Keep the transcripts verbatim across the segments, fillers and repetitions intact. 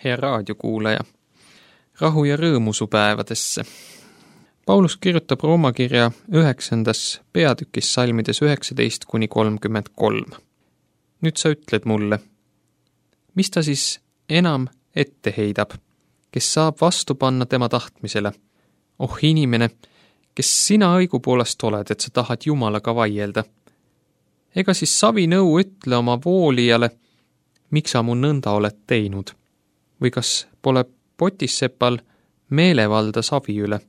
hea raadiokuulaja, rahu ja rõõmu su päevadesse. Paulus kirjutab Rooma kirja üheksandas peatükis salmides üheksateist kuni kolmkümmend kolm. Nüüd sa ütled mulle, mis ta siis enam ette heidab, kes saab vastu panna tema tahtmisele? Oh inimene, kes sina õigupoolest oled, et sa tahad Jumalaga vaielda? Ega siis savinõu ütle oma voolijale, miks sa mu nõnda oled teinud? Või kas pole potissepal meelevalda savi üle?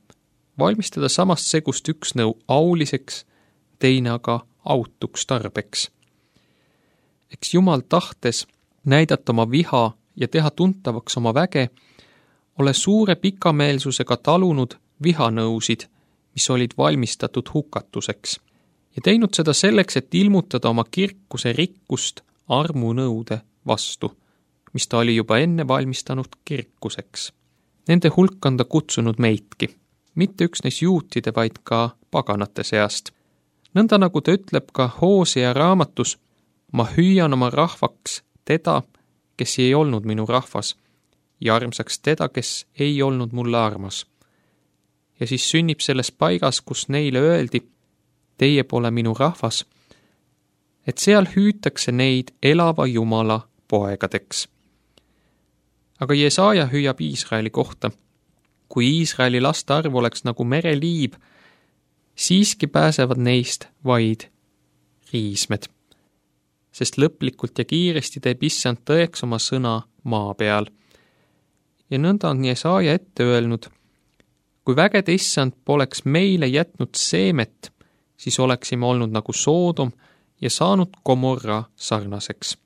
Valmistada samast segust üks nõu auliseks, teine aga autuks tarbeks. Eks Jumal tahtes näidata oma viha ja teha tuntavaks oma väge, ole suure pikameelsusega talunud vihanõusid, mis olid valmistatud hukatuseks, ja teinud seda selleks, et ilmutada oma kirkuse rikkust armunõude vastu, mis ta oli juba enne valmistanud kirkuseks. Nende hulk on ta kutsunud meidki, mitte üksnes juutide, vaid ka paganate seast. Nõnda nagu ta ütleb ka Hoosea raamatus, ma hüüan oma rahvaks teda, kes ei olnud minu rahvas, ja armsaks teda, kes ei olnud mulle armas. Ja siis sünnib selles paigas, kus neile öeldi, teie pole minu rahvas, et seal hüütakse neid elava Jumala poegadeks. Aga Jesaja hüüab Iisraeli kohta. Kui Iisraeli laste arv oleks nagu mereliib, siiski pääsevad neist vaid riismed. Sest lõplikult ja kiiresti teeb issand tõeks oma sõna maa peal. Ja nõnda on Jesaja ette öelnud, kui vägede issand poleks meile jätnud seemet, siis oleksime olnud nagu Soodom ja saanud Gomorra sarnaseks.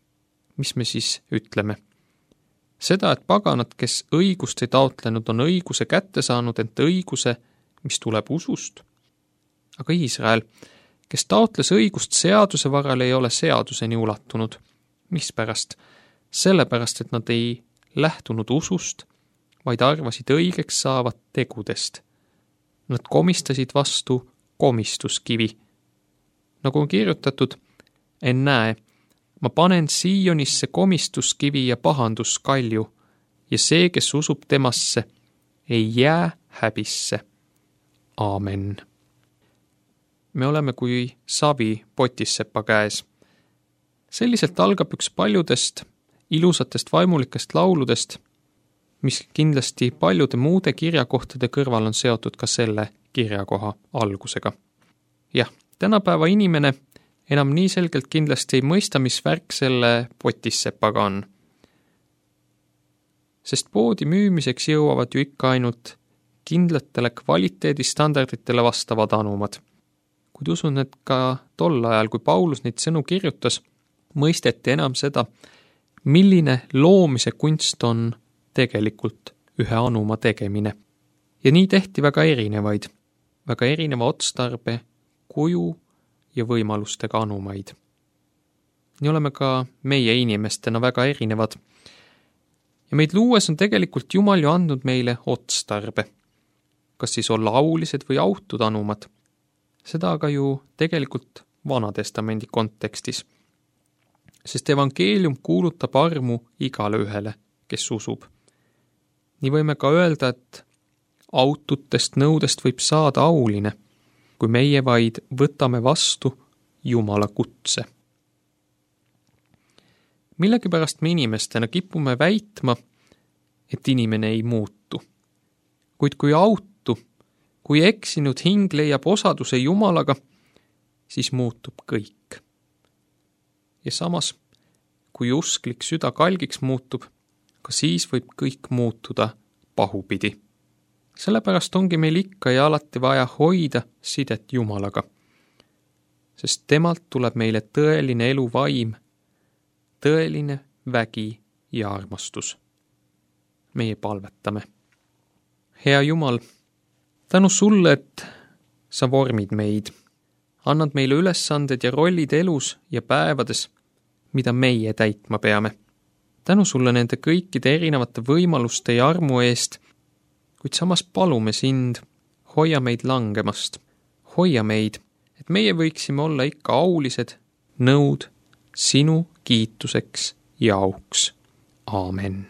Mis me siis ütleme? Seda, et paganad, kes õigust ei taotlenud, on õiguse kätte saanud, ent õiguse, mis tuleb usust. Aga Iisrael, kes taotles õigust seaduse varal, ei ole seaduseni ulatunud. Mispärast? Sellepärast, et nad ei lähtunud usust, vaid arvasid õigeks saavat tegudest. Nad komistasid vastu komistuskivi. Nagu on kirjutatud, en näe, ma panen Siionisse komistuskivi ja pahanduskalju, ja see, kes usub temasse, ei jää häbisse. Aamen. Me oleme kui savi potissepa käes. Selliselt algab üks paljudest ilusatest vaimulikest lauludest, mis kindlasti paljude muude kirjakohtade kõrval on seotud ka selle kirjakoha algusega. Jah, tänapäeva inimene enam nii selgelt kindlasti ei mõista, mis värk selle potissepaga on. Sest poodi müümiseks jõuavad ju ikka ainult kindlatele kvaliteedistandarditele vastavad anumad. Kuid usun, et ka tol ajal, kui Paulus neid sõnu kirjutas, mõisteti enam seda, milline loomise kunst on tegelikult ühe anuma tegemine. Ja nii tehti väga erinevaid, väga erineva otstarbe, kuju ja võimalustega anumaid. Nii oleme ka meie inimestena väga erinevad. Ja meid luues on tegelikult Jumal ju andnud meile otstarbe. Kas siis olla aulised või autud anumad? Seda aga ju tegelikult Vanatestamendi kontekstis. Sest evangeelium kuulutab armu igale ühele, kes usub. Nii võime ka öelda, et aututest nõudest võib saada auline, kui meie vaid võtame vastu Jumala kutse. Millegipärast me inimestena kipume väitma, et inimene ei muutu. Kuid kui autu, kui eksinud hing leiab osaduse Jumalaga, siis muutub kõik. Ja samas, kui usklik süda kalgiks muutub, ka siis võib kõik muutuda pahupidi. Sellepärast ongi meil ikka ja alati vaja hoida sidet Jumalaga, sest temalt tuleb meile tõeline eluvaim, tõeline vägi ja armastus. Meie palvetame. Hea Jumal, tänu sulle, et sa vormid meid, annad meile ülesanded ja rollid elus ja päevades, mida meie täitma peame. Tänu sulle nende kõikide erinevate võimaluste ja armu eest, kuid samas palume sind, hoia meid langemast, hoia meid, et meie võiksime olla ikka aulised, nõud sinu kiituseks ja auks. Aamen.